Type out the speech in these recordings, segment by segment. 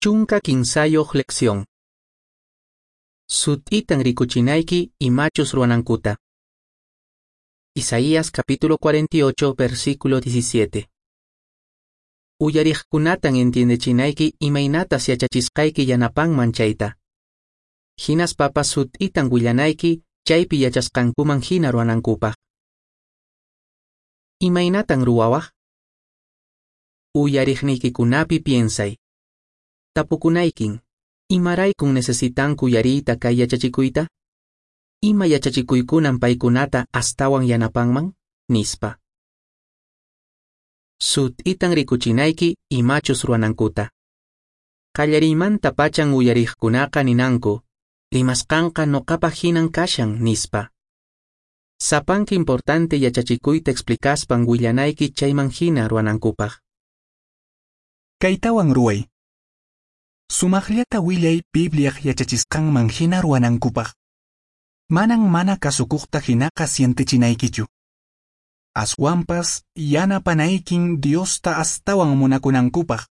13 lección. Sut'itan rikuchinayki imachus ruwanankuta. Isaías capítulo 48, versículo 17. Uyariqkunatan entiendechinayki imaynatas yachachisqayki yanapanman chayta. Hinaspapas sut'itan willanayki chaypi yachasqankuman hina ruwanankupaq. Imaynatan ruwawaq? Uyariqniykikunapi piensay. Tapukunaykin, imaraykun necesitanku uyariyta kay yachachikuyta? Ima yachachikuykunan paykunata astawan yanapanman? Nispa. Sut'itan rikuchinayki imachus ruwanankuta. Qallariymanta pachan uyariqkunaqa ninanku, rimasqanqa noqapaq hinan kashan, nispa. Sapanka importante yachachikuyta explicaspan willanayki chayman hina ruwanankupaq. Kaytawan ruway. Sumaqllata willay Bibliaq yachachisqanman hina ruwanankupaq. Manan mana kasukuqta hinaqa sientechinaykichu. Aswanpas yanapanaykin Diosta astawan munakunankupaq,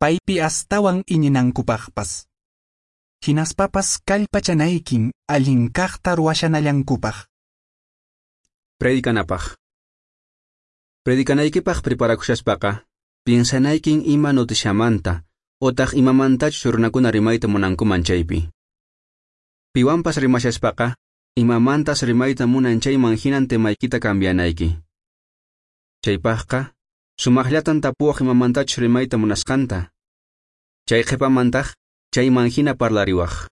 paypi astawan iñinankupaqpas. Hinaspapas kallpachanaykin allin kaqta ruwashanallankupaq. Predicanapaq. Predicanaykipaq preparakushaspaqa, piensanaykin ima noticiamanta, otaq imamantachus runakuna rimayta munankuman chaypi. Piwanpas rimashaspaqa, imamantas rimayta munan chayman hinan temaykita cambianayki. Chaypaqqa, sumaqllatan tapuwaq imamantachus rimayta munasqanta. Chay qhipamantaq, chayman hina parlariwaq.